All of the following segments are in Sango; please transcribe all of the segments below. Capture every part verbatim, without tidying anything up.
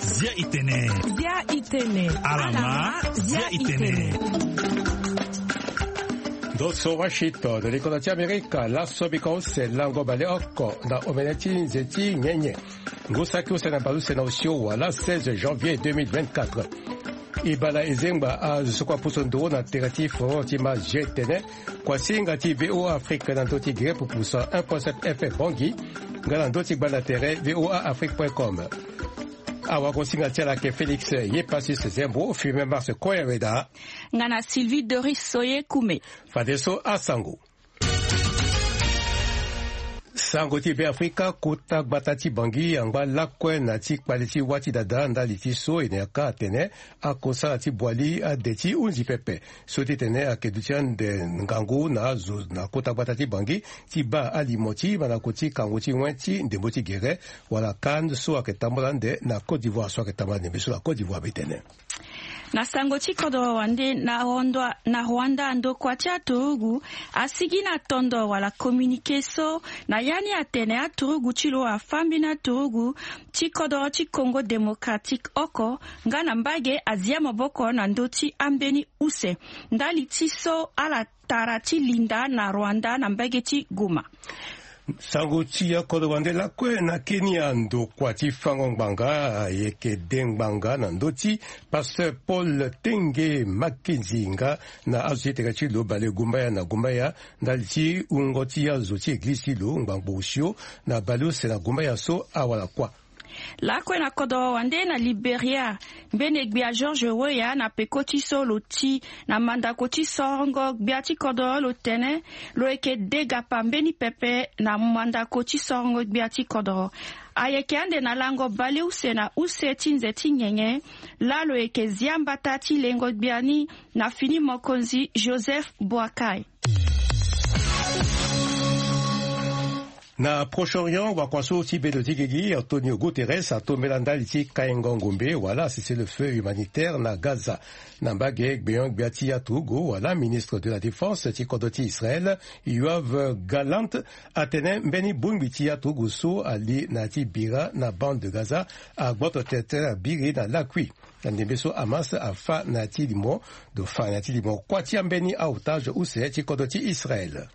Zia itene. Zia itene. Alama, zia itene. Ndo so Washington, likoda ti Amerika, laso bika use lango baleoko na omene ti nze ti nyenye. Ngu saki use na baleuse na osio wala seize janvier deux mille vingt-quatre. E baa na e zengba azo so kue apusu nduru na tere ti foro ti ma zia itene. Kuasinga ti V O A Afrique na ndö ti gere pupusa un point sept F M Bangui, nga na ndö ti gbanda tere V O A Afrique point com. Awagosinga ti ala ayeke Félix Yepasis Zembo, Firmin Mars Koyaweda. Nga na Sylvie Doris Soye Kume. Fadeso asango. Sango ti Beafrika, kota gbata ti Bangui angba lakue na ti kpale ti wâ ti dada ndali ti so e na yaka atene akosala ti boili ade ti hunzi pepe. So ti tene ayeke duti ande ngangu na azo na kota gbata ti Bangui ti baa alimo ti mandako ti kango ti wen ti ndembo ti gere wala CAN so ayeke tambula ande na Côte d'Ivoire, so ayeke tambula ndembe so na Côte d'Ivoire be tene. Na sango ti kodro wande na Rwanda, na Rwanda ndokua ti aturugu asigi na tondo wala communiqué so na ya ni atene aturugu ti lo afâ mbeni aturugu ti kodro ti Congo Démocratique oko, nga na mbage azia maboko na ndö ti ambeni use. Ndali ti so ala tara ti linda na Rwanda na mbage ti Goma. Sango ti akodro wande lakue na Kenya, ndokua ti fango ngbanga ayeke de ngbanga na ndö ti pasteur Paul Tenge Mackenzie nga na azo ti tere ti lo bale gumbaya na gumbaya ndali ti wungo ti azo ti eglize ti lo ngbangbo osio na baleuse na gumbaya so awara kuâ. Lakue na kodro wande na Liberia, mbeni gbia George Weah na peko ti so lo ti na mandako ti sorongo gbia ti kodro lo tene lo yeke de gapa mbeni pepe na mandako ti sorongo gbia ti kodro. Ayeke ande na lango baleuse na use ti nze ti nyenye laa lo yeke zia mbata ti lengo gbia ni na fini mokonzi Joseph Boakai. Na Proche-Orient, wakua so ti bedo ti gigi Antonio Guterres atombela ndali ti kaingo ngombe wala cessez-le-feu humanitaire na Gaza. Na mbage gbenyo-gbia ti aturugu wala ministre de la Défense ti kodro ti Israël, Yoav Gallant, atene mbeni bongbi ti aturugu so ali na ya ti bira na bande de Gaza agboto tene abiri na lakui na ndembe so Hamas afâ na ya ti limo, do fâ na ya ti limo kuâ ti ambeni aotage use ti kodro ti Israël.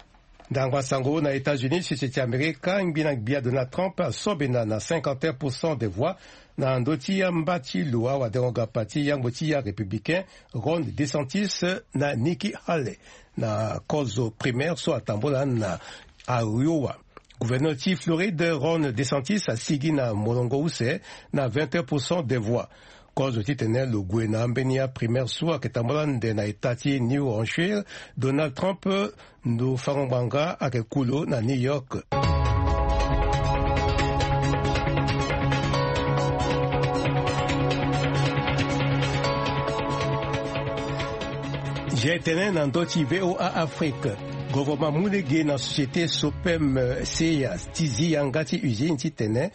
Ndangba sango na États-Unis, sese ti Amerika, ngbina gbia Donald Trump asobena na cinquante et un pour cent des voix na ndö ti amba ti lo awadengo-gapa ti yangbo ti arépublicain Ron DeSantis na Nikki Haley na kozo primaire so atambula na Iowa. Gouverneur ti Floride Ron DeSantis asigi na molongo use na vingt et un pour cent des voix. Kozo titene lo gue na ambeni aprimaire so ayeke tambula ande na état ti New Hampshire, Donald Trump, ndo fango ngbanga, ayeke ku lo na New York. Zia tene na ndö ti V O A Afrique. Governement amu lege na société Sopem, eh, Seya ti zi yanga ti usine titene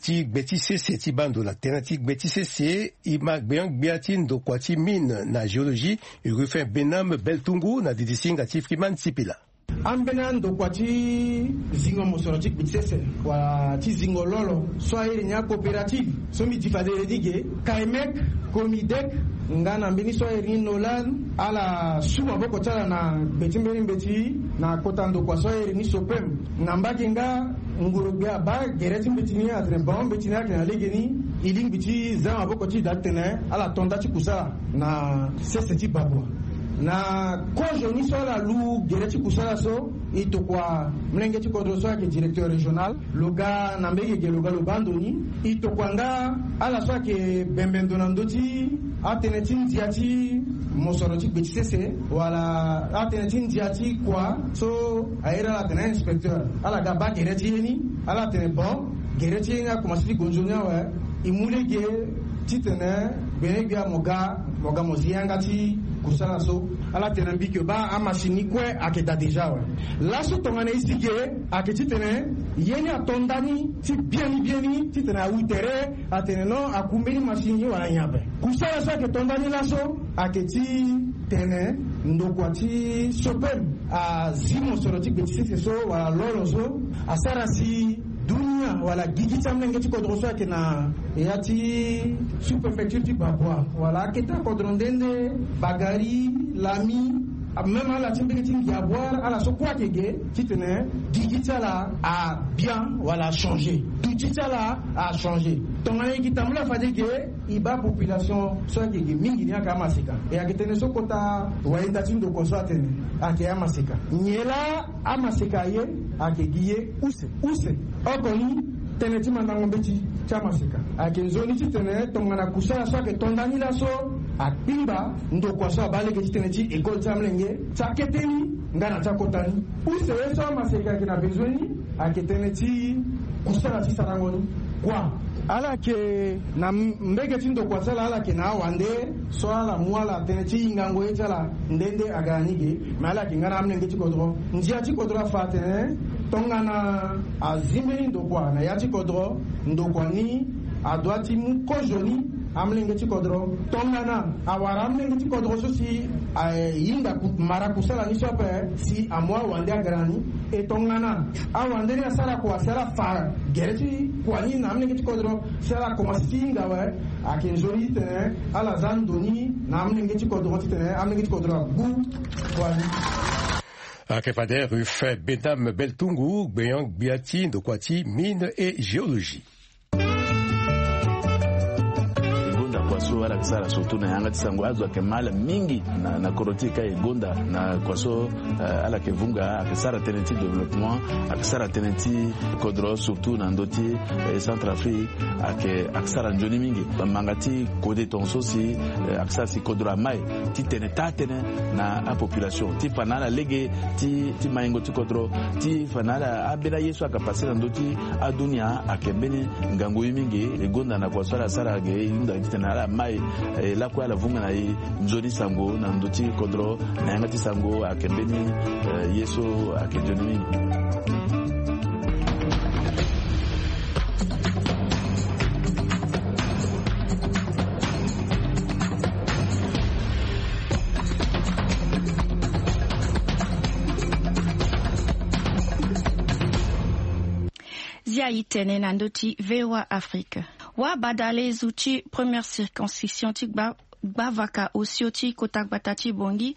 ti gbe ti sese ti baa ndo na tënë ti gbe ti sese, e ma gbenyo-gbia ti ndokua ti mine na géologie, Rufin Benam Beltungu na didisinga ti Freeman Sipila. Ambeni andokua ti zingo mosoro ti gbe ti sese wala ti zingo lolo so airi ni acoopérative so mbi di fade ni ge, Kaimec, Comidec, nga na mbeni so airi ni Nolan, ala su maboko ti ala na gbe ti mbeni mbeti na kota ndokua so airi ni Sopem. Na mbage nga nguru-gbia abaa gere ti mbeti ni atene bango mbeti ni ayeke na legeni, e lingbi ti za maboko ti e daa titene ala to nda ti kusala na sese ti Babua. Na kozo ni so ala lu gere ti kusala so, e tokua molenge ti kodro so ayeke directeur régional, lo ga na mbege ge lo ga lo baa ndo ni. E tokua nga ala so ayeke bembe ndo na ndö ti atënë ti ndia ti mosoro ti gbe ti sese wala atënë ti ndia ti kua so airi ala atene inspecteur. Ala ga baa gere ti ye ni, ala tene bon, gere ti ye ni akomanse ti gue nzoni awe. E mu lege titene gbenyo-gbia mo ga, mo ga mo zi yanga ti kusala so. Ala tene mbi yeke baa amasini ni kue ayeke daa déjà awe. Laso tongana e si ge ayeke titene ye ni ato ndani ti biani biani titene awu tere atene non, aku mbeni masini ni wala nyen ape. Kusala so ayeke to ndani laso ayeke ti Tene ndokua ti Sopem azi mosoro ti gbe ti sese so wala lolo so asara si dunia wala gigi ti amolenge ti kodro so ayeke na ya ti sous-préfecture ti Babwa wala akete akodro nde nde, Bagari, Lami, même ala ti mbege ti Ngiabuar, ala so kue ayeke ge titene gigi ti ala abia wala achanger, duti ti ala achanger. Tongana e gi tambula fade ge, e baa population so ayeke ge mingi ni ayeke amaseka. E ayeke tënë so kota wayenda ti ndokua so atene ayeke amaseka. Nyen laa amaseka aye? Ayeke gi ye use use. Oko ni tënë ti mandango mbeti ti amaseka ayeke nzoni titene tongana kusala so ayeke to ndani laso akpingba ndokua so abaa lege ti tënë ti école ti amolenge ti akete ni nga na ti akota ni. Use ye so amaseka ayeke na bezoin ni ayeke tënë ti kusala ti sarango ni. Kua ala yeke na mbege ti ndokua ti ala, ala yeke na awande so ala mu ala tënë ti hingango ye ti ala nde nde aga na ni ge. Me ala yeke nga na amolenge ti kodro. Ndia ti kodro afa atene tongana azi mbeni ndokua na ya ti kodro, ndokua ni adoit ti mu kozo ni amolenge ti kodro. Tongana awara amolenge ti kodro so si ahinga mara kusala ni so ape si amu awande aga na ni. E tongana awande ni asara kua si ala fa gere ti kua ni na amolenge ti kodro si ala komanse ti hinga awe, ayeke nzoni titene ala za ndo ni na amolenge ti kodro titene amolenge ti kodro agbu kua ni. Ayeke fade Ruffin Benam Beltungu, gbenyo-gbia ti ndokua ti mine et géologie. E gonda kua so ala yeke sara surtout na yanga ti sango, azo ayeke mal mingi na, na kodro ti e ka e gonda na kua so, eh, ala yeke vunga, ayeke sara tënë ti développement, ayeke sara tënë ti kodro surtout na ndö ti, eh, Centrafrique, ayeke, ayeke sara nzoni mingi. Bamanga ti kode tongaso si, eh, ayeke sara si kodro amai titene taa tënë na apopulation ti fa na ala lege ti, ti maingo ti kodro, ti fa na ala ambeni aye so ayeke pase na ndö ti adunia ayeke mbeni ngangu ye mingi. E gonda na kua so ala sara ge, e hunda titene ala mai, eh, lakue ala vunga na e nzoni sango na ndö ti kodro na yanga ti sango ayeke mbeni, eh, ye so ayeke nzoni mingi. Zia e tene na ndö ti V O A Afrique. Wabadalezu ti première circonscription ti gba gbavaka osio ti kota gbata ti Bangui,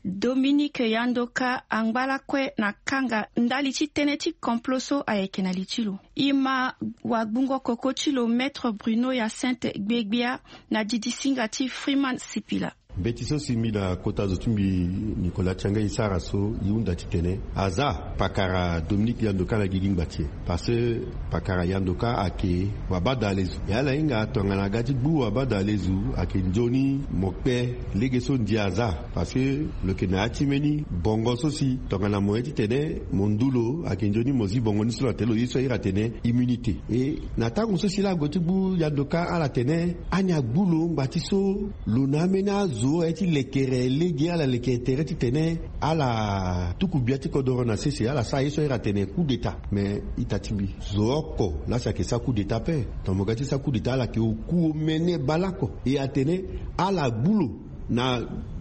Dominique Yandoka angba lakue na kanga ndali ti tënë ti complot so ayeke na li ti lo. E ma wagbungo koko ti lo Maître Bruno Hyacinthe Gbegbia na didisinga ti Freeman Sipila. Mbeti so si mbi na kota zo ti mbi Nicolas Tianga e sara so, e hunda titene aza pakara Dominique Yandoka na gigi ngba ti e. Parce que pakara Yandoka ayeke wabadalezu. E ala hinga tongana aga ti gbu wabadalezu ayeke nzoni mo kpe lege so ndia aza. Parce que lo yeke na ya ti mbeni bongo so si tongana mo ye titene mo ndu lo, ayeke nzoni mo zi bongo ni so na tene lo ye so ahiri atene immunité. E na tango so si laa ague ti gbu Yandoka, ala tene ani agbu lo ngba ti so lo na ambeni azo aye ti lekere lege, ala leke tere titene ala tuku gbia ti kodoro na sese, ala sara ye so ahiri atene coup d'état. Me ita ti mbi, zo oko laa si ayeke sara coup d'état ape. Tongana mo ga ti sara coup d'état, ala yeke oku omene baleoko. E atene ala gbu lo na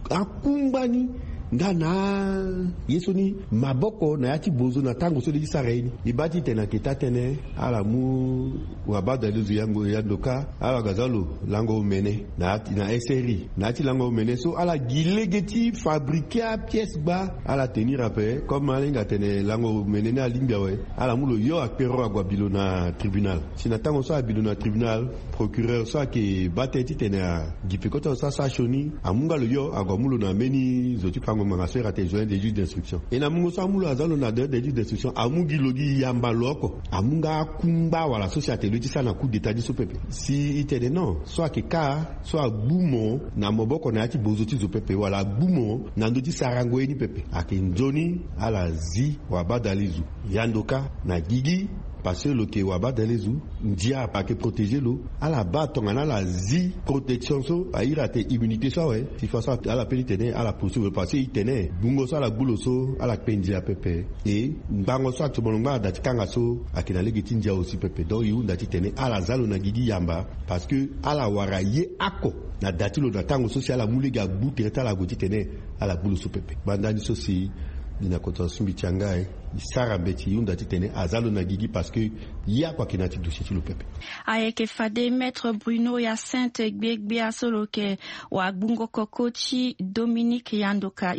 akungba ni nga na ye so ni maboko na ya ti bozo na tango so lê ti sara ye ni. E baa titene ayeke taa tënë, ala mu wabadalezu Yandoka, ala ga za lo lango omene na ya ti, na S R I. Na ya ti lango omene so, ala gi lege ti fabriquer apièce gba, ala tenir ape. Comme ala hinga atene lango omene ni alingbi awe, ala mu lo yo akpero ague abi lo na tribunal. Si na tango so abi lo na tribunal, procureur so ayeke baa tënë titene agi peko ti azo so asara sioni amu nga lo yo ague amu lo na mbeni zo ti fango ngbanga so e hiri atene doyen des juges d'instruction. E na mungo so amu lo aza lo na doyen des juges d'instruction, amu gi lo gi yamba lo oko. Amu nga akungba wala so si atene lo ye ti sara na coup d'état ni so pepe. Si e tene non, so ayeke kâ so agbu mo na maboko na ya ti bozo ti zo pepe wala agbu mo na ndö ti sarango ye ni pepe, ayeke nzoni ala zi wabadalezu Yandoka na gigi Parce que lo yeke wabadalezu, ndia ayeke protéger lo. Ala baa tongana ala zi protection so a iri atene immunité so awe. Sifa so ala pe ni tene ala poursuivre parce que e tene gbungo so ala gbu lo so ala kpe ndia pepe. E ngbango so atomo lo ngba na da ti kanga so ayeke na lege ti ndia aussi pepe. Donc e hunda titene ala za lo na gigi yamba, parce que ala wara ye oko na da ti lo na tango so si ala mu lege agbu tere ti ala ague titene ala gbu lo so pepe. Gbanda ni so si ni na kota sumbi ti yanga e, e sara mbeti e hunda titene aza lo na gigi parce que ye oko ayeke na ya ti dossier ti lo pepe. Ayeke fade maître Bruno Hyacinthe Gbiegbia so lo yeke wagbungo koko ti Dominique Yandoka.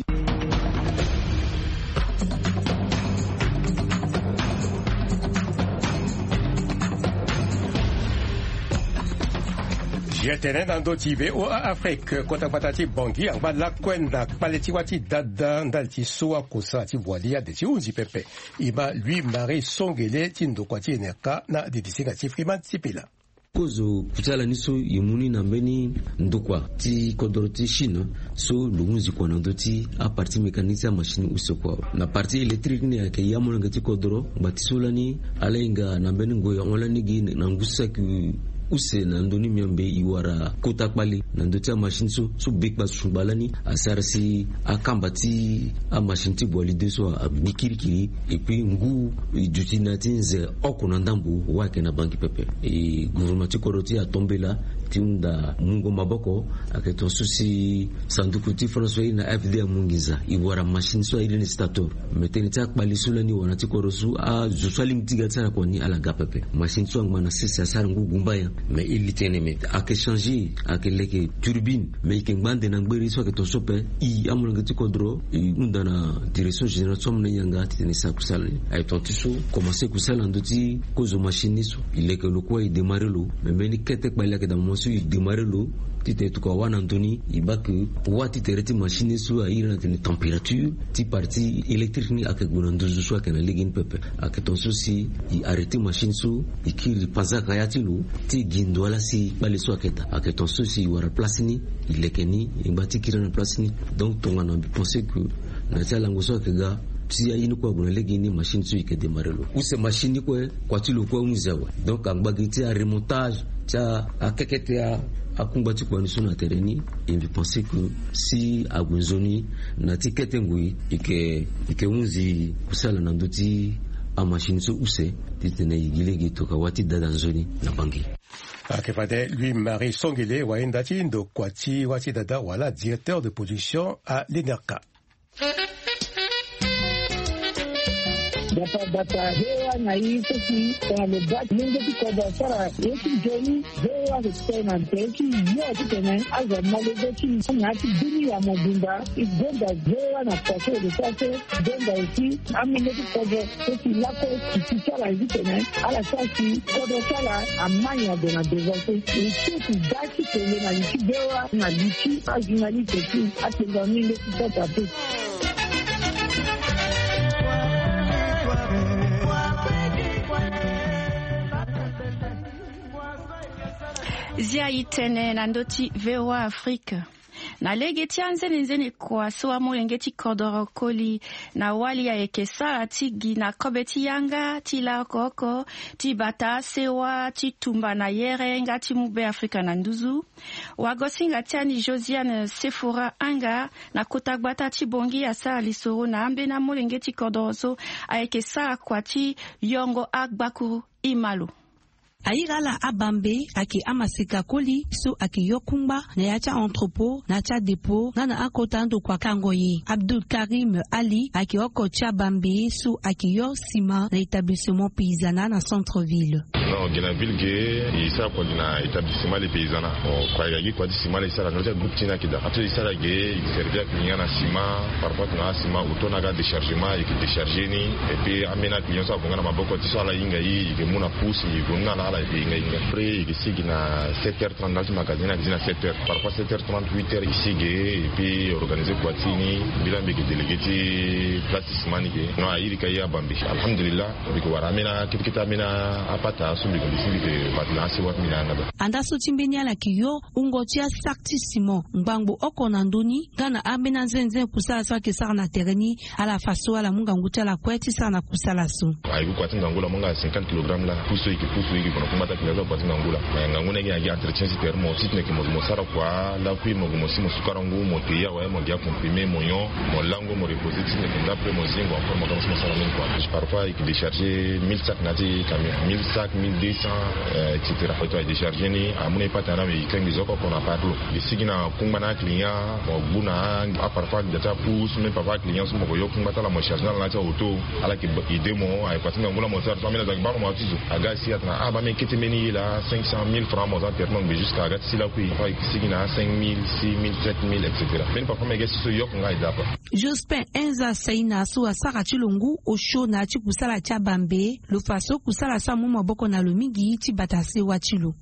Ye tene na ndö ti V O A Afrique, kota gbata ti Bangui angba lakue na kpale ti wâ ti dada ndali ti so akosa ti boili ade ti hunzi pepe. E ma Louis Marie Songele ti ndokua ti N R K na didisinga ti Freeman Sipila. Kozo kusala ni so e mu ni na mbeni ndokua ti kodro ti Chine so lo hunzi kua na ndö ti aparti mécanique ti amachine use kua. Na parti électrique ni ayeke ya molenge ti kodro ngba ti so lani ala hinga na mbeni ngoi ahon lani gi na ngu saki use na ndö ni miombe e wara kota kpale na ndö ti amachine so so bekpa sungba lani asara si akamba ti amachine ti boili de so agbi kirikiri. Et puis ngu e duti na ya ti nze oko na ndambo wâ ayeke na Bangui pepe. E gouvernement ti kodro ti atombela ti hunda mungo maboko. Ayeke ton so si sanduku ti France so airi na F D A mu nginza e wara machine so airi ni Stator. Me tënë ti akpale so lani wara na ti kodro so azo so alingbi ti ga ti sara kua ni ala ga pepe. Machine so angba na sese asara ngu gumba nyen. Me e li tënë me ayeke changer, ayeke leke turbine. Me e yeke ngba ande na ngberi so ayeke ton so ape. E amolenge ti kodro e hunda na direction générale so amolenge yanga titene e sara kusala ni. Aye ton ti so komanse kusala na ndö ti kozo machine ni so. E leke lo kue e démarrer lo. Me mbeni kete kpale ayeke daa moment so e démarrer lo titene tokua wâ na ndö ni. E baa ke wâ ti tere ti machine ni so airi na tene température ti parti électrique ni ayeke gue na nduzu so ayeke na lege ni pepe. Ayeke ton so si e arrêter machine so e kiri panzaka ya ti lo ti gi ndo ala si kpale so ayeke daa. Ayeke ton so si e wara place ni e leke ni e ngba ti kiri na place ni. Donc tongana mbi pense que na ya ti alango so ayeke ga si aye ni kue ague na lege ni machine so e yeke démarrer lo. Use machine ni kue kua ti lo kue ahunzi awe. Donc angba gi ti aremontage ti akekete akungba ti kua ni so na tere ni. E mbi pense que si ague nzoni na ti kete ngoi e yeke hunzi kusala na ndö ti amachine so use titene e gi lege tokua wâ ti dada nzoni na Bangui. Ayeke fade Louis Marie Songele wahinda ti ndokua ti wâ ti dada wala directeur de production a l'I N R K. Bata bata, V O A na i so si tongana lo baa ti lenge ti kodro asara ye ti nzoni, V O A ayeke kpe na tere ti yo titene azo amolenge ti na ya ti bini ya mobimba. E gonda V O A na kua so e lo sara so. E gonda aussi amolenge ti kodro so si lakue si ti sara titene ala sara si kodro ti ala ama nyen ague na devant so. E so si da ti tene na li ti V O A na li ti ajournaliste ti atenda ni leti kota te. Zia e tene na ndö ti V O A Afrique. Na lege ti anzenenzene kua so amolenge ti kodoro koli na wali ayeke sara ti gi na kobe ti yanga ti la oko oko ti bata sewa ti tumba na yere nga ti mu Be Afrika na nduzu. Wagosinga ti ani Josiane Sefora Anga na kota gbata ti Bangui asara lisoro na ambeni amolenge ti kodoro so ayeke sara kua ti yongo agbakuru. E ma lo. Aira ala abambe ayeke amaseka koli so ayeke yo kungba na ya ti a-entrepôt na ya ti adépôt nga na akota ndokua kango ye. Abdul Karim Ali ayeke oko ti abambe so ayeke yo sima na établissement paysanat na centre ville. Non, gi na ville ge e sara kua gi na établissement le paysanat. Bon, kua e ga gi kua ti sima la e sara na ndö ti agroupe ti ni ayeke daa. Ato e sara ge e servi aclient na sima, parfois tongana asima auto na aga déchargement e yeke décharger ni. Et puis ambeni aclient so ague nga na maboko ti so ala hinga e, e yeke mu na pousse e gue mu na ala. Ala e hinga hinga. Après e ke sigi na sept heures trente na ti magasin, na ti na sept heures, parfois sept heures trente, huit heures e sigi. Et puis organisé kua ti ni, mbi la mbi ke délégué ti place ti sima ni ke. Non, a iri ka ye abambe. Alhamdulillah, mbi ke wara ambeni akete kete, ambeni apata so mbi ke, mbi si mbi ke bati na asewa ti mbi na yanga da. Andaa so ti mbeni ala ke yo wungo ti asaki ti simon ngbangbo oko na ndö ni nga na ambeni anzenzen kusala so ayeke sara na tere ni. Ala fa so ala mu ngangu ti ala kue ti sara na kusala so. Aye ku kua ti ngangu la mu nga cinquante kilogramme la. Pusu e yeke pusu e yeke gue na kungba ti akina so na kua ti ngangu la. Eh, ngangu ni ayeke na gi entretien ti tere mo titene yeke mo gue mo sara kua lakui, mo gue mo si mo sukara ngu, mo te ye awe, mo gi acomprimé, mo nyon, mo lango, mo reposer titene yeke nda après mo zingo encore mo ga mo si mo sara mingi kua. Parfois e yeke décharger mille sacs na ya ti camion, mille sacs, mille deux cents, euh, et cetera. Aye décharger ni amu na e pata na mbi e kangbi zo oko oko na parlo. E sigi na kungba na aclient, mo gbu na a, parfois da ti apus, même parfois aclient so mo ko yo kungba ti ala mo charge na ala na ya ti auto. Ala yeke aidé mo, aye kua ti ngangu la mo sara so ambeni aza yeke baa mo mo ya ti zo. Aga asi atena ah baa mbi kete mbeni ye laa cinq cent mille francs mo za tere mo ngbe jusqu'à aga ti si lakui. Parfois e yeke sigi na cinq mille, six mille, sept mille, et cetera. Mbeni parfois mbi ga si so yoko nga e daa kua. Jospin Enza Saina so asara ti lo ngu osio na ya ti kusala ti abambe. Lo fa so kusala so amu maboko na lo mingi ti bata sewa ti lo.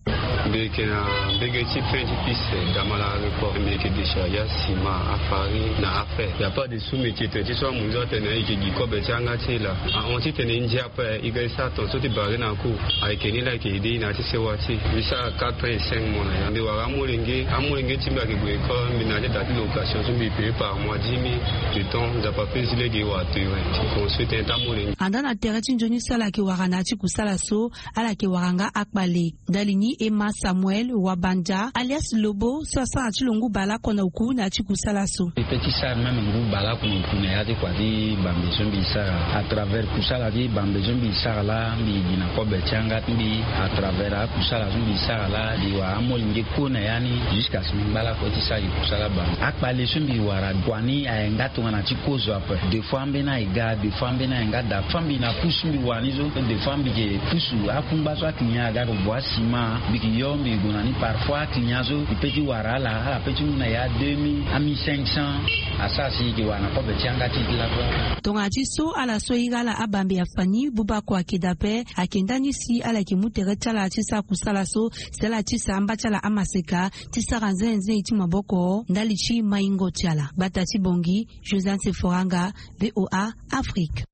Mbi yeke na mbege ti fin ti piste Damala Aéroport. Mbi yeke décharger asima, afarine na afer. Ya pas de sous-métier tene ti so amu nzoni atene e yeke gi kobe ti yanga ti e laa. Ahon titene e ndia ape, e ga e sara tongaso ti barrer na cour. Ayeke ni laa e yeke aidé e na ya ti sewa ti e. Mbi sara quatre ans et cinq mois na ya. Mbi wara amolenge, amolenge ti mbi ayeke gue école, mbi na ya ti da ti location so mbi payer par mois dix mille. Le temps Nzapa apesi lege e wara terrain ti construire tënë ti amolenge. Andaa na tere ti nzoni so ala yeke wara na ya ti kusala so, ala yeke wara nga akpale. Ndali ni Emma Samuel Wabanja alias Lobo so asara ti lo ngu baleoko na oku na ya ti kusala so. Mbi pe ti sara même ngu baleoko na oku na ya ti kua ti bambe so mbi sara. À travers kusala ti bambe so mbi sara laa, mbi gi na kobe ti yanga ti mbi. À travers akusala so mbi sara laa, mbi wara amolenge kue na ya ni jusqu'à si mbi ngba lakue ti sara gi kusala bambe. Akpale so mbi wara kua ni aye nga tongana ti kozo ape. Des fois ambeni aye ga, des fois ambeni aye nga daa. Fois mbi na pusu mbi wara ni so, des fois mbi ke pusu akungba so aklinya aga ko bua sima, mbi ke yo mbi gue na ni. Parfois aklinya so mbi pe ti wara ala, ala pe ti mu na ya deux mille, a mille cinq cents. Asara si e ke wara na kobe ti yanga ti e ti lakue. Tongana ti so ala so e iri ala abambe afa ni, buba oko ayeke daa ape. Ayeke ndani si ala yeke mu tere ti ala ti sara kusala so, si ala ti sa amba ti ala amaseka ti sara nzenze ti maboko ndali ti maingo ti ala. Gbata ti Bangui, Josiane Sephora Nga, V O A Afrique.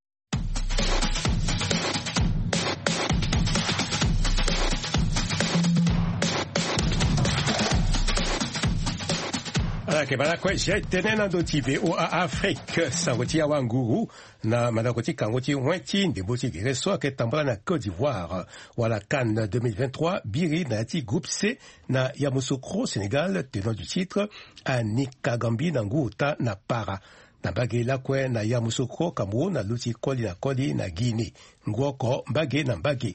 Ala yeke baa lakue, je tene na ndö ti V O A Afrique, sango ti awanguru na mandako ti kango ti wen ti ndembo ti gere so ayeke tambula na Côte d'Ivoire. Wala CAN deux mille vingt-trois biri na ya ti groupe C na Yamoussoukro Sénégal, tenant du titre, Anika Gambi na ngu ota na para. Na mbage lakue na Yamoussoukro Cameroun aluti koli na koli na Guinée, ngu oko mbage na mbage.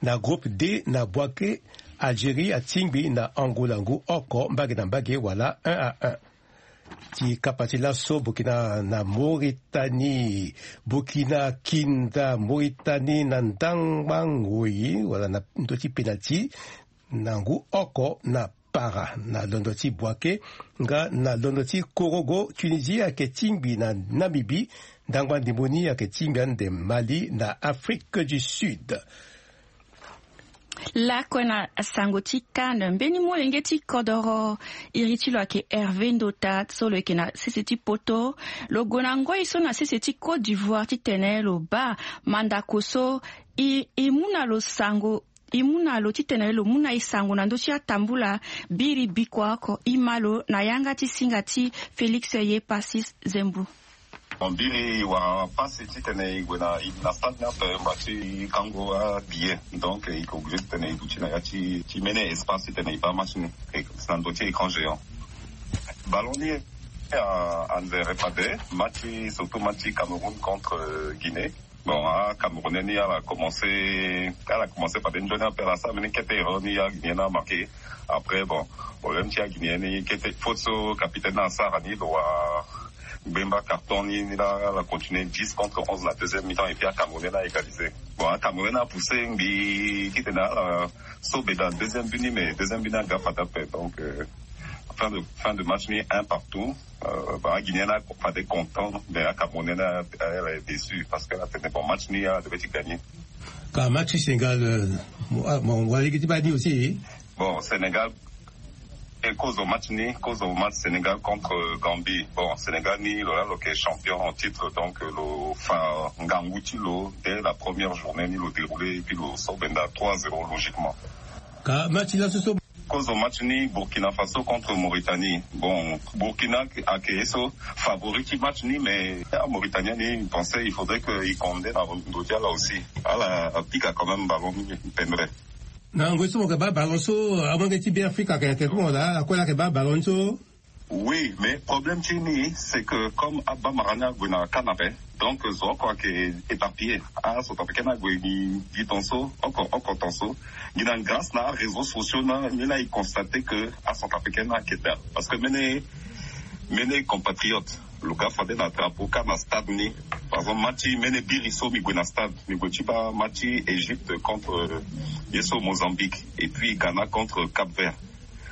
Na groupe D na Bouaké, Algérie atingbi na Angola ngu oko mbage na mbage wala un à un. Ti kapa ti laso, Burkina na Mauritanie. Burkina kinda Mauritanie na ndangba ngoi wala na ndö ti penalty na ngu oko na para. Na londo ti Bouaké nga na londo ti Korogo, Tunisie ayeke tingbi na Namibie. Ndangba ndembo ni ayeke tingbi ande Mali na Afrique du Sud. Lakue na sango ti CAN, mbeni molenge ti kodoro iri ti lo ayeke Hervé Ndota so lo yeke na sese ti poto. Lo gue na ngoi so na sese ti Côte d'Ivoire titene lo baa mandako so e, e mu na lo sango, e mu na lo titene lo mu na e sango na ndö ti atambula biri bikua oko. E ma lo na yanga ti singa ti Félix Yepassis Zembo. Bon, biri e wara pasi titene e gue na, e na stade ni ape mba ti kango abillet. Donc e yeke obligé titene e duti na ya ti, ti mbeni espace titene e baa match ni. E si na ndö ti écran géant. Ballon ni a, anzere fade match, surtout match ti Cameroun contre, euh, Guinée. Bon, aCamerounais ni ala commencé, ala commencé fade nzoni ape, ala sara mbeni kete erreur ni aGuinéen ni amarqué. Après, bon, problème ti aGuinéen ni, kete faute so capitaine ni asara ni, lo wa gbemba carton ni, ni la, ala continué dix contre onze na deuxième mi-temps, et puis aCamerounais ni a égalisé. Bon, aCamerounais ni apoussé ngbii titene ala so be dans deuxième but ni, mais deuxième but ni aga fade ape. Donc, euh, fin de, fin de match ni un partout. Euh, bah, aGuinéen ni a fade content, mais aCamerounais ni a, a, a déçu parce que atene bon, match ni ala devait ti gagner. Ka match ti Sénégal, euh, mo- ah, mo- mo- lege ti baa ni aussi. Bon, Sénégal, e kozo match ni, kozo match Sénégal contre Gambie. Bon, Sénégal ni lo la lo yeke champion en titre, donc lo fa ngangu ti lo dès la première journée ni lo déroulé, et puis lo so benda trois zéro logiquement. Ka match laso so. Kozo match ni Burkina Faso contre Mauritanie. Bon, Burkina ayeke ye so favori ti match ni, mais ah, Mauritanie ni, mi pensé il faudrait que i condé na ndo ti ala aussi. Ala apika quand même ballon ni pendre. Na ngoi so mo yeke baa ballon so, amolenge ti Beafrika ayeke tene ti mo laa, akue laa ayeke baa ballon ni so. Oui, mais problème ti ni c'est que comme abamara ni ague na CAN ape, donc zo oko ayeke éparpillé. Acentrafricain ni ague gi gi ton so, oko oko ton so. Gi na grâce na aréseaux sociaux na ni laa i constaté que acentrafricain ni ayeke daa, parce que mbeni mbeni compatriote lo ga fade na drapeau CAN na stade ni. Par exemple match ti mbeni biri so mi gue na stade, mi gue ti baa match ti Égypte contre, euh, ye so Mozambique, et puis Ghana contre Cap Vert.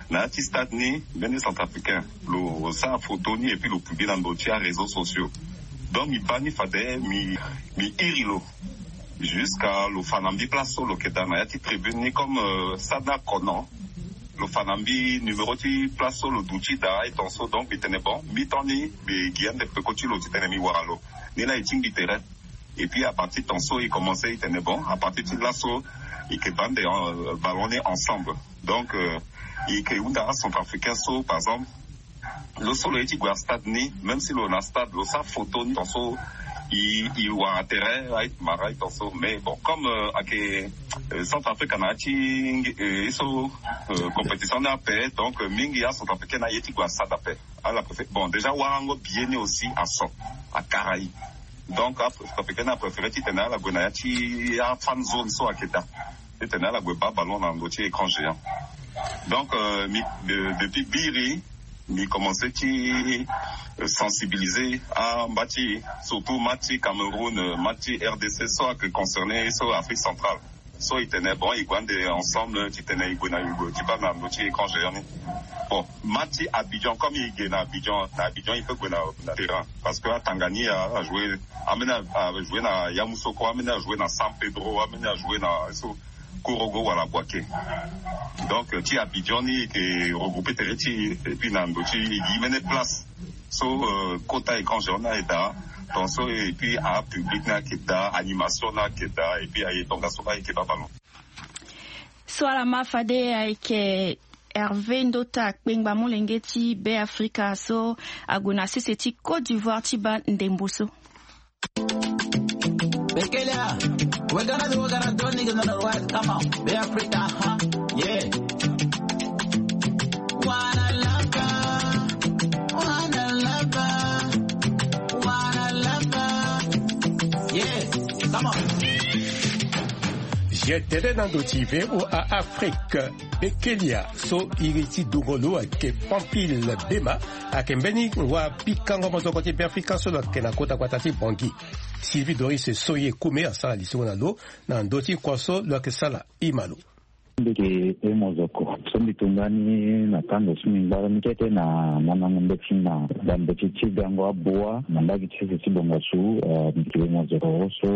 Na ya ti stade ni mbeni centrafricain lo sara photo ni et puis lo publie na ndo ti aréseaux sociaux. Donc mi baa ni fade mi mi iri lo jusqu'à lo fa na mbi place so lo yeke daa na ya ti tribune ni, comme, euh, stade ni akono. Lo fa na mbi numéro ti place so lo duti daa aye ton so, donc mbi tene bon, mbi ton ni mbi gi ande peko ti lo titene mi wara lo. Ni laa e tingbi tere. Et puis à partir ton so e commencé e tene bon, à partir ti laso e yeke baa ande, euh, ballon ni ensemble. Donc, euh, e yeke hunda acentrafricain so par exemple, lo so lo ye ti gue na stade ni, même si lo na stade lo sara photo ni ton so, e e wara tere aye ti mara aye ton so. Mais bon, comme, euh, ayeke, euh, Centrafrique na ya ti, euh, ye so, euh, compétition ni ape, donc, euh, mingi acentrafricain ni aye ti gue na stade ape. Ala préféré bon, déjà warango billet ni aussi aso, akara e. Donc acentrafricain ni apréféré titene ala gue na ya ti afan zone so ayeke daa, titene ala gue baa ballon na ndo ti écran géant. Donc, euh, mi, de- depuis biri mi commencé ti, euh, sensibiliser amba ti, surtout match ti Cameroun, euh, match ti RDC so ayeke concerné so Afrique centrale. So e tene bon, e gue ande ensemble titene e gue na e gue ti baa na ndo ti écran géant ni. Bon, match ti Abidjan, comme e ge na Abidjan, na Abidjan e peut gue na, na terrain, parce que atanga ni a- ajoue, ambeni ajoue na Yamoussoukro, ambeni ajoue na San Pedro, ambeni ajoue na so Korogo wala Bouaké. Donc, euh, ti Abidjan ni e yeke regrouper tere ti e, et puis na ndo ti e gi mbeni place so, euh, kota écran géant ni aye daa ton so, et puis apublic ni ayeke daa, animation ni ayeke daa, et puis aye tongaso ni ayeke baa ballon. So ala ma fade ayeke Hervé Ndota, kpengba molenge ti Beafrika so ague na sese ti Côte d'Ivoire ti baa ndembo so. Bekelia, we're gonna do, we're gonna do, niggas on the right, come on, Beafrika, huh? Yeah. Wanna love her, wanna love her, wanna love her. Yeah, come on. Zia tënë na ndo ti V O A Afrique. Bekelia so iri ti dungo lo ayeke Pampile Bema, ayeke mbeni ngua pikango mozoko ti Beafrika so lo yeke na kota gbata ti Bangui. Sylvie Doris Soye Koume asara lisoro na lo na ndö ti kua so lo yeke sara. Ima lo. Mbi yeke e mozoko so mbi to ndani na tango so mbi ngbara ni kete na mandango mbeti na bambeti ti gango abua na mbage ti sese ti bongasu. Mbi yeke e mozoko so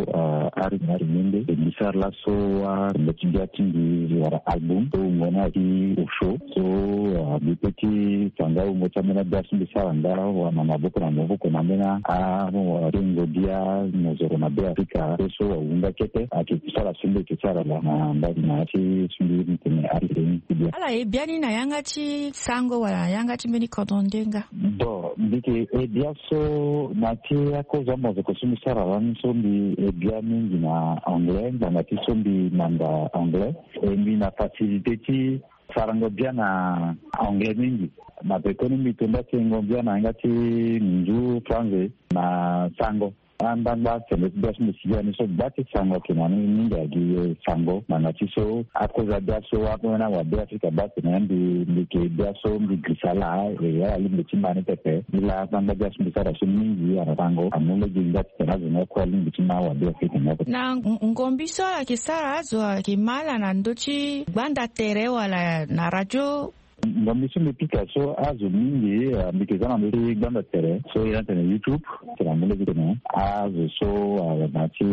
ari na ari mende e gi sara laso arembe ti bia ti mbi wala album so wungo ni ayeke Osho. So mbi pe ti tanga wungo ti ambeni abia so mbi sara nda wala na maboko na maboko na ambeni arengo bia mozoko na Beafrika so so ahunda kete ayeke sara so mbi yeke sara na mbage na ya ti so mbi tene ari ni ti bia. Ala e bia ni na yanga ti sango wala na yanga ti mbeni kodro nde nga? Bon, mbi yeke e bia so na ti akozo amozoko so mbi sara lani so mbi e bia mingi na anglais ngbanga ti so mbi manda anglais. E mbi na facilité ti sarango bia na anglais mingi. Na pekoni mbi to nda sengo bia na yanga ti nzu franze na sango. Angbangba sembe ti bia so mbi si bia ni so gba ti sango ayeke na ni mingi agi sango ngbanga ti so akozo abia so ambeni awabe Afrika baa tene mbi mbi yeke bia so mbi girisa laa e ala lingbi ti ma ni pepe. Mbi laa angbangba bia so mbi sara so mingi ala sango amu lege nga titene azo ni akue alingbi ti ma awabe Afrika ni oko. Na ngombi so ala yeke sara azo ayeke ma ala na ndö ti gbanda tere wala na radio? Ngombi so mbi pika so azo mingi mbi yeke za na ndö ti gbanda tere so ye na tene YouTube. Amu lege titene azo so, ah, na ya ti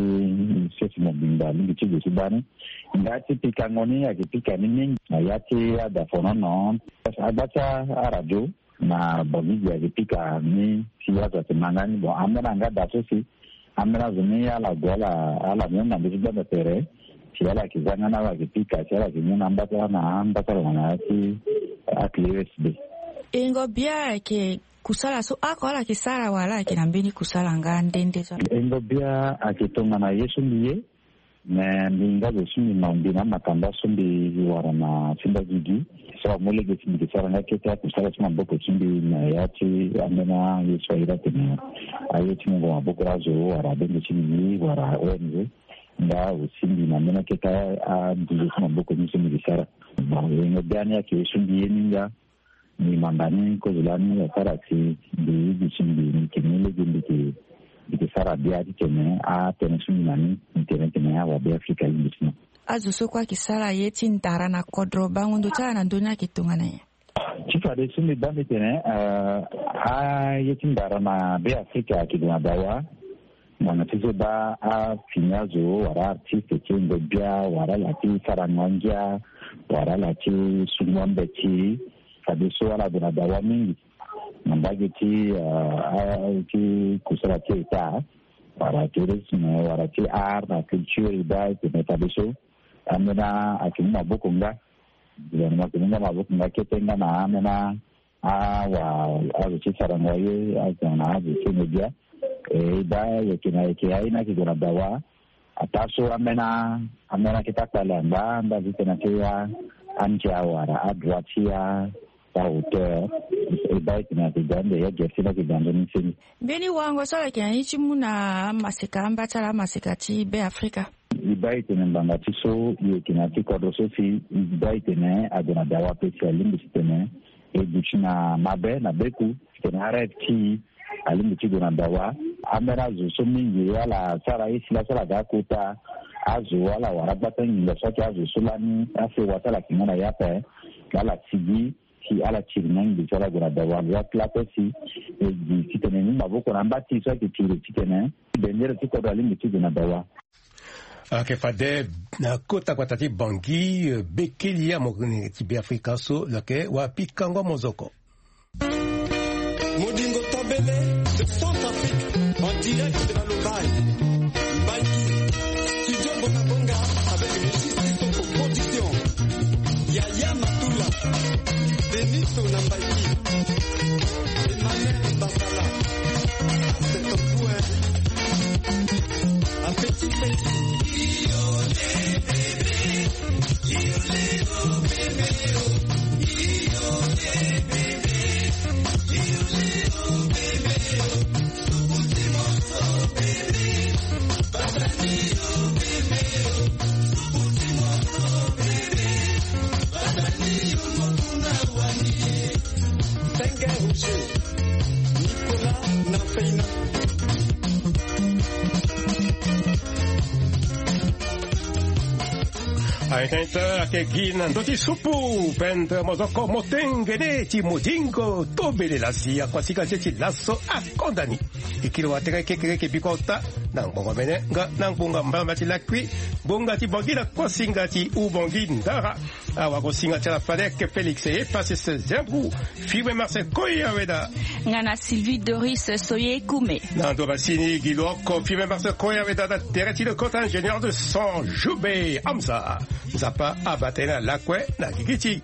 sese mobimba alingbi ti gue ti baa ni. Nga ti pikango ni ayeke pika ni mingi na ya ti adafonono. Agba ti aradio na Bangi gi ayeke pika ni si azo ayeke ma nga ni. Bon, ambeni anga da so si ambeni azo ni ala gue ala, ala mu na ndö ti gbanda tere si ala yeke za nga ni, ala yeke pika si ala yeke mu na amba ti ala na amba ti ala na ya ti akili U S B. Ingo bia ayeke kusala so oko ala yeke sara wala ayeke na mbeni kusala nga nde nde so? Ingo bia ayeke tongana ye so mbi ye. Me mbi nga zo so mbi ma mbi na amakanda so mbi wara na ti mbagigi. So amu lege si mbi yeke sara nga kete akusala ti maboko ti mbi na ya ti ambeni aye so ahiri atene aye ti mungo maboko azo wala abenge ti mbi wala O N G. Nga aussi mbi na ambeni akete anduzu ti maboko ni so mbi yeke sara. Bon, yengo biani ayeke ye so mbi ye ni nga. Mbi manda ni kozo lani asara si mbi higi ti mbi, mbi yeke mu lege mbi yeke, mbi yeke sara bia titene atënë so mbi na ni, mbi tene titene awabe Afrika alingbi ti mo. Azo so kue ayeke sara ye ti ndara na kodro, bango ndo ti ala na ndö ni ayeke tongana nyen? Ti fadeso mbi baa mbi tene, eh, aye ti ndara na Be Afrika ayeke gue na dawa. Ngbanga ti so baa afini azo wala artiste ti Ingo bia wala ala ti sarango angia wala ala ti sungo ambeti, fadeso ala gue na dawa mingi na mbage ti, ah, ah, ti kusala ti État wala tourisme wala ti art na culture. E baa e tene fadeso ambeni ayeke mu maboko nga. Gouvernement ayeke mu nga maboko nga kete nga na ambeni awa azo ti sarango aye, azo na azo ti Ingo bia. E baa e yeke na, e yeke aye ni ayeke gue na dawa. Ataa so ambeni, ambeni akete akpale angba, angba ti tene ake ya andia wala adroit ti ya ahauteur. E baa e tene ayeke ga ande ya gere ti ni ayeke ga nzoni seni. Mbeni wango so ala yeke na ni ti mu na amaseka, amba ti ala amaseka ti Be Afrika. E baa e tene ngbanga ti so e yeke na ya ti kodro so si e baa e tene ague na dawa ape si alingbi ti tene e duti na mabe na beku. Titene arêve ti e alingbi ti gue na dawa. Ambeni azo so mingi ala sara ye si laso ala ga akota azo ala wara agbata nginza so ayeke azo so lani asewa ti ala yeke nga na ya ape. Ala sigi si ala tiri na nginza ti ala gue na dawa. Ala ya ti la ape si e gi titene e mu maboko na amba ti e so ayeke tiri titene bendere ti kodro alingbi ti gue na dawa. Ayeke fade na kota gbata ti Bangui, eh, Bekeli, amolenge ti Be Afrika so lo yeke wa pikango mozoko. Modingo Tobele de Centrafrique, en direct de la Lobaye. Bangui, studio Bonga Bonga avec Régis Kitoko Production. Yaya Matula, Denis Onambaiki, Emmanuel Basala, c'est ton coup, hein. Appétit, petit. Senge Roger, Nicolas na Feina. Aita ita ayeke gi na ndö ti supu, pendre mozoko motengene ti Modingo Tobele la si akuasinga ti e ti laso akonda ni. E kiri watere kekere yeke bikota na ngbonga mene nga na ngbonga mbamba ti lakui, ngbonga ti Bangui na kuasinga ti Ubangui Ndara. Awagosinga ti ala Fadek Félix Epasis Zembrou, Fibre Marcel Koya Weda. Nga na Sylvie Doris Soye Kume. Na ndo masini gi lo oko Fibre Marcel Koya Weda na tere ti lo kota ingénieur de son Joubert Hamza. Nzapa abata ye na lakue na gigi ti.